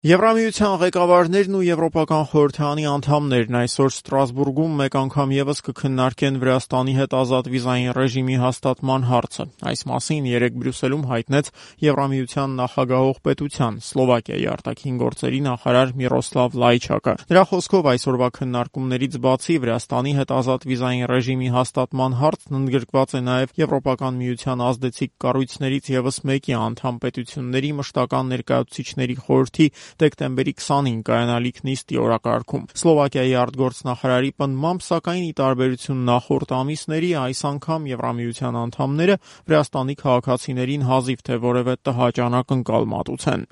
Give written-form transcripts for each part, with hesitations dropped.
Եվրամիության ղեկավարներն ու Եվրոպական խորհրդարանի անդամներն այսօր Ստրասբուրգում մեկ անգամ ևս կքննարկեն Վրաստանի հետ ազատ վիզային ռեժիմի հաստատման հարցը։ Այս մասին երեկ Բրյուսելում հայտնեց Եվրամիության նախագահող պետության Սլովակիայի արտաքին գործերի նախարար Միրոսլավ Լայչակը։ Նրա խոսքով այսօրվա քննարկումներից բացի Վրաստանի հետ ազատ վիզային ռեժիմի հաստատման հարցն ընդգրկված է նաև Եվրոպական միության ազդեցիկ կառույցներից ևս մեկի անդամ պետությունների մշտական ներկայացուցիչների խորհրդի դեկտեմբերի 20-ին կայանալիք նիստի օրակարգում։ Սլովակիայի արտգործնախարարի պնդմամբ, սակայն ի տարբերություն նախորդ ամիսների, այս անգամ Եվրամիության անդամները Վրաստանի քաղաքացիներին հազիվ թե որևէ տհաճանակ մատուցեն։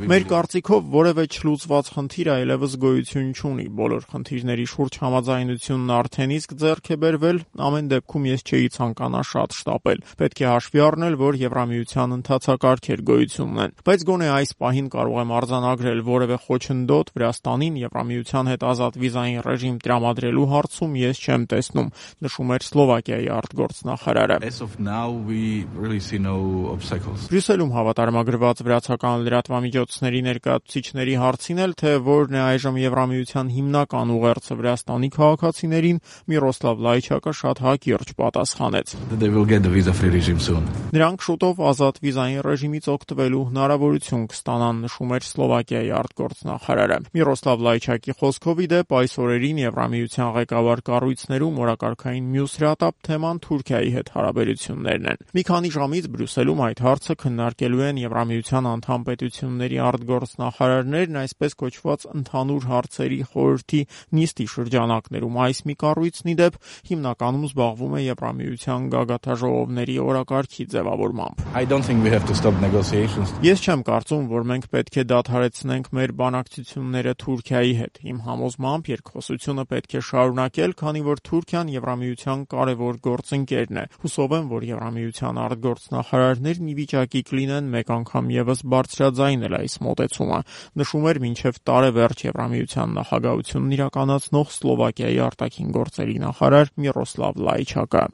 Մեր կարծիքով որևէ չլուծված խնդիր այլևս գոյություն չունի։ Բոլոր խնդիրների շուրջ համաձայնությունն արդեն իսկ ձեռք է բերվել, ամեն դեպքում ես չէի ցանկանա շատ շտապել։ Պետք է հաշվի առնել, որ Եվրամիության ընթացակարգեր գոյություն ունեն, բայց գոնե այս պահին կարող եմ արձանագրել որևէ խոչընդոտ Վրաստանին Եվրամիության հետ ազատ վիզային ռեժիմ տրամադրելու հարցում ես չեմ տեսնում, նշում էր Սլովակիայի արտգործնախարարը։ Բրյուսելում հավատարմագրված վրացական լրատվամիջոցների ներկայացուցիչների հարցին էլ, թե որն է այժմ Եվրամիության հիմնական ուղերձը Վրաստանի քաղաքացիներին, Միրոսլավ Լայչակը շատ հակիրճ պատասխանեց։ Նրանք շուտով ազատ վիզային ռեժիմից օգտվելու հնարավորություն կստանան, նշում էր Սլովակիայի արտգործնախարարը։ Միրոսլավ Լայչակի խոսքով ի դեպ այս օրերին Եվրամիության ղեկավար կառույցներում օրակարգային մյուս հրատապ թեման Թուրքիայի հետ հարաբերություններն են։ Մի քանի ժամից Բրյուսելում այդ հարցը քննարկելու են Եվրամիության անդամ պետությունների արտգործնախարարներն այսպես կոչված ընդհանուր հարցերի խորհրդի նիստի շրջանակներում։ Այս մի կառույցն ի դեպ հիմնականում զբաղվում է Եվրամիության գագաթաժողովների օրակարգի ձևավորմամբ։ Ես չեմ կարծում, որ մենք պետք է դադարեցնենք մեր բանակցությունները Թուրքիայի հետ։ Իմ համոզմամբ երկխոսությունը պետք է շարունակել, քանի որ Թուրքիան Եվրամիության կարևոր գործընկերն է։ Հուսով եմ, որ Եվրամիության արտգործնախարարներն ի վիճակի կլինեն մեկ անգամ ևս բարձրաձայնել այս մոտեցումը, նշում էր մինչև տարեվերջ Եվրամիության նախագահությունն իրականացնող Սլովակիայի արտաքին գործերի նախարար Միրոսլավ Լայչակը։